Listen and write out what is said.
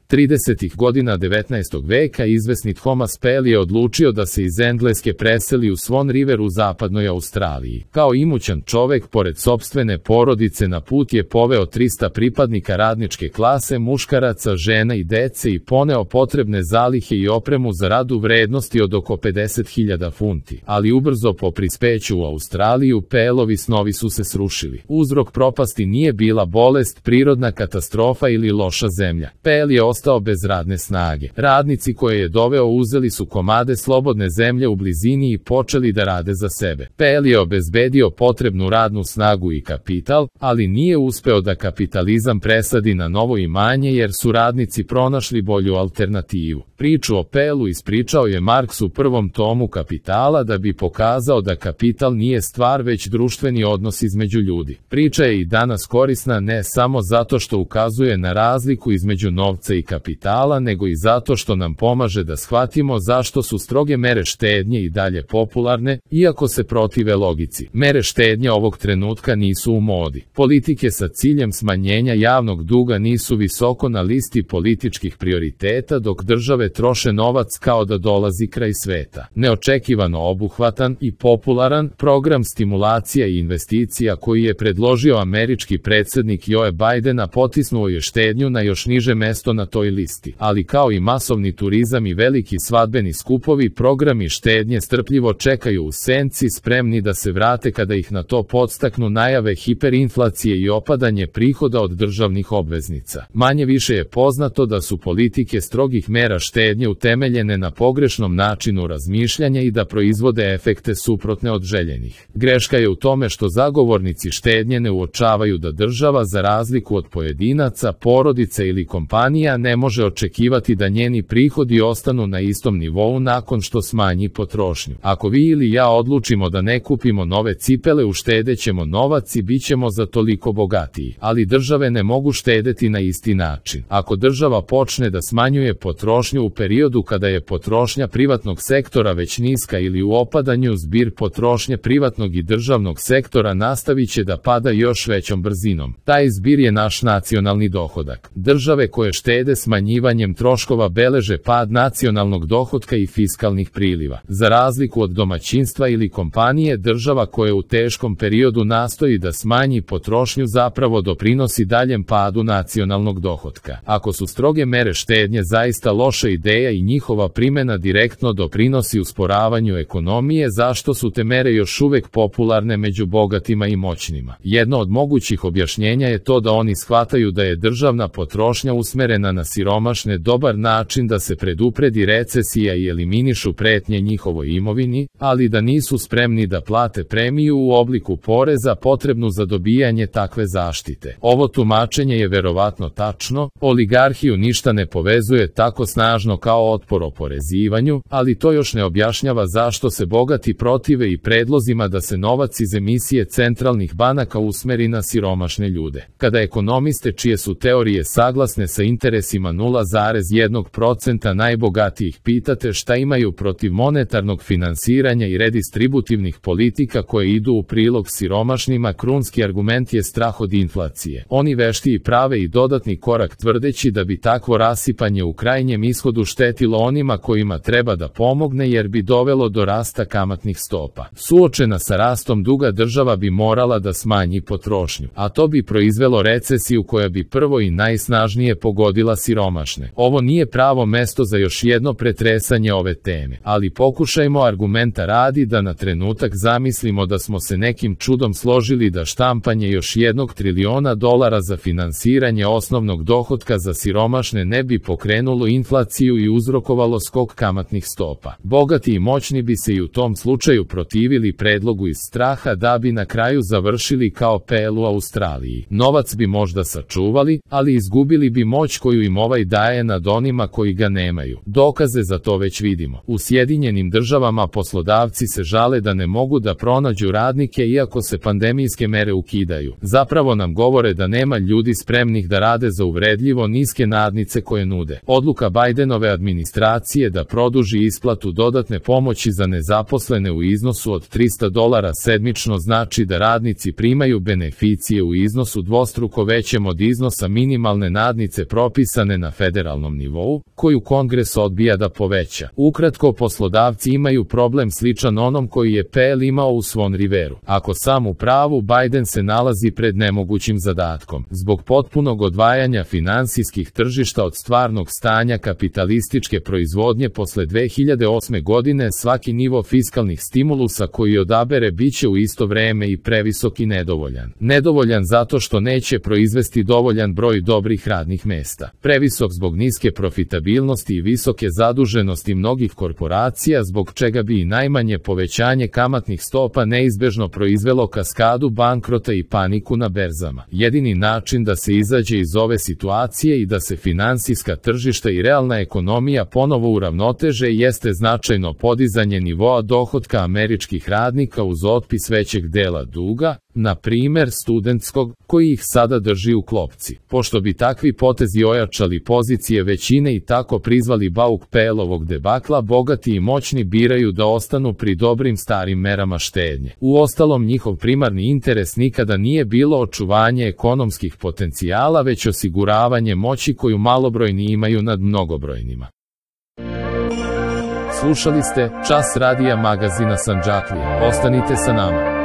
30. godina 19. veka izvesni Thomas Pell je odlučio da se iz Engleske preseli u Swan River u zapadnoj Australiji. Kao imućan čovek, pored sopstvene porodice, na put je poveo 300 pripadnika radničke klase, muškaraca, žena i dece i poneo potrebne zalihe i opremu za rad u vrednosti od oko 50.000 funti. Ali ubrzo po prispeću u Australiju, Pellovi snovi su se srušili. Uzrok propasti nije bila bolest, prirodna katastrofa ili loša zemlja. Pell je ostao bez radne snage. Radnici koje je doveo uzeli su komade slobodne zemlje u blizini i počeli da rade za sebe. Pell je obezbedio potrebnu radnu snagu i kapital, ali nije uspeo da kapitalizam presadi na novo imanje jer su radnici pronašli bolju alternativu. Priču o Pellu ispričao je Marks u prvom tomu Kapitala da bi pokazao da kapital nije stvar već društveni odnos između ljudi. Priča je i danas korisna ne samo zato što ukazuje na razliku između novca i kapitala, nego i zato što nam pomaže da shvatimo zašto su stroge mere štednje i dalje popularne, iako se protive logici. Mere štednje ovog trenutka nisu u modi. Politike sa ciljem smanjenja javnog duga nisu visoko na listi političkih prioriteta, dok države troše novac kao da dolazi kraj sveta. Neočekivano obuhvatan i popularan program stimulacija i investicija koji je predložio američki predsjednik Joe Bidena potisnuo je štednju na još niže mesto na toj listi. Ali kao i masovni turizam i veliki svadbeni skupovi, programi štednje strpljivo čekaju u senci, spremni da se vrate kada ih na to podstaknu najave hiperinflacije i opadanje prihoda od državnih obveznica. Manje više je poznato da su politike strogih mera štednje utemeljene na pogrešnom načinu razmišljanja i da proizvode efekte suprotne od željenih. Greška je u tome što zagovornici štednje ne uočavaju da država, za razliku od pojedinaca, porodica ili kompanija, ne može očekivati da njeni prihodi ostanu na istom nivou nakon što smanji potrošnju. Ako vi ili ja odlučimo da ne kupimo nove cipele, uštedećemo novac i bit ćemo za toliko bogatiji. Ali države ne mogu štedeti na isti način. Ako država počne da smanjuje potrošnju u periodu kada je potrošnja privatnog sektora već niska ili u opadanju, zbir potrošnje privatnog i državnog sektora nastavit će da pada još većom brzinom. Taj zbir je naš nacionalni dohodak. Države koje štede smanjivanjem troškova beleže pad nacionalnog dohotka i fiskalnih priliva. Za razliku od domaćinstva ili kompanije, država koja u teškom periodu nastoji da smanji potrošnju zapravo doprinosi daljem padu nacionalnog dohotka. Ako su stroge mere štednje zaista loša ideja i njihova primjena direktno doprinosi usporavanju ekonomije, zašto su te mere još uvek popularne među bogatima i moćnima? Jedno od mogućih objašnjenja je to da oni shvataju da je državna potrošnja usmerena na siromašne dobar način da se predupredi recesija i eliminišu pretnje njihovoj imovini, ali da nisu spremni da plate premiju u obliku poreza potrebnu za dobijanje takve zaštite. Ovo tumačenje je verovatno tačno, oligarhiju ništa ne povezuje tako snažno kao otpor oporezivanju, ali to još ne objašnjava zašto se bogati protive i predlozima da se novac iz emisije centralnih banaka usmeri na siromašne ljude. Kada ekonomiste čije su teorije saglasne sa interesima 0,1% najbogatijih pitate šta imaju protiv monetarnog finansiranja i redistributivnih politika koje idu u prilog siromašnima, krunski argument je strah od inflacije. Oni veštiji prave i dodatni korak tvrdeći da bi takvo rasipanje u krajnjem ishodu štetilo onima kojima treba da pomogne jer bi dovelo do rasta kamatnih stopa. Suočena sa rastom duga, država bi morala da smanji potrošnju, a to bi proizvelo recesiju koja bi prvo i najsnažnije pogodila siromašne. Ovo nije pravo mesto za još jedno pretresanje ove teme, ali pokušajmo argumenta radi da na trenutak zamislimo da smo se nekim čudom složili da štampanje još $1 triliona za finansiranje osnovnog dohotka za siromašne ne bi pokrenulo inflaciju i uzrokovalo skok kamatnih stopa. Bogati i moćni bi se i u tom slučaju protivili predlogu iz straha da bi na kraju završili kao Pell u Australiji. Novac bi možda sačuvali, ali izgubili bi moć koju im ovaj daje nad onima koji ga nemaju. Dokaze za to već vidimo. U Sjedinjenim Državama poslodavci se žale da ne mogu da pronađu radnike iako se pandemijske mere ukidaju. Zapravo nam govore da nema ljudi spremnih da rade za uvredljivo niske nadnice koje nude. Odluka Bidenove administracije da produži isplatu dodatne pomoći za nezaposlene u iznosu od $300 sedmično znači da radnici primaju beneficije u iznosu dvostruko većem od iznosa minimalne nadnice propisane definisane na federalnom nivou, koju Kongres odbija da poveća. Ukratko, poslodavci imaju problem sličan onom koji je PL imao u Swan Riveru. Ako sam u pravu, Biden se nalazi pred nemogućim zadatkom. Zbog potpunog odvajanja finansijskih tržišta od stvarnog stanja kapitalističke proizvodnje posle 2008. godine, svaki nivo fiskalnih stimulusa koji odabere biće u isto vreme i previsok i nedovoljan. Nedovoljan zato što neće proizvesti dovoljan broj dobrih radnih mesta. Previsok zbog niske profitabilnosti i visoke zaduženosti mnogih korporacija, zbog čega bi i najmanje povećanje kamatnih stopa neizbežno proizvelo kaskadu bankrota i paniku na berzama. Jedini način da se izađe iz ove situacije i da se finansijska tržišta i realna ekonomija ponovo uravnoteže jeste značajno podizanje nivoa dohotka američkih radnika uz otpis većeg dela duga, na primer studentskog, koji ih sada drži u klopci. Pošto bi takvi potezi ojačali pozicije većine i tako prizvali bauk PL-ovog debakla, bogati i moćni biraju da ostanu pri dobrim starim merama štednje. Uostalom, njihov primarni interes nikada nije bilo očuvanje ekonomskih potencijala, već osiguravanje moći koju malobrojni imaju nad mnogobrojnima. Slušali ste Čas radija magazina Sandžaklija. Ostanite sa nama.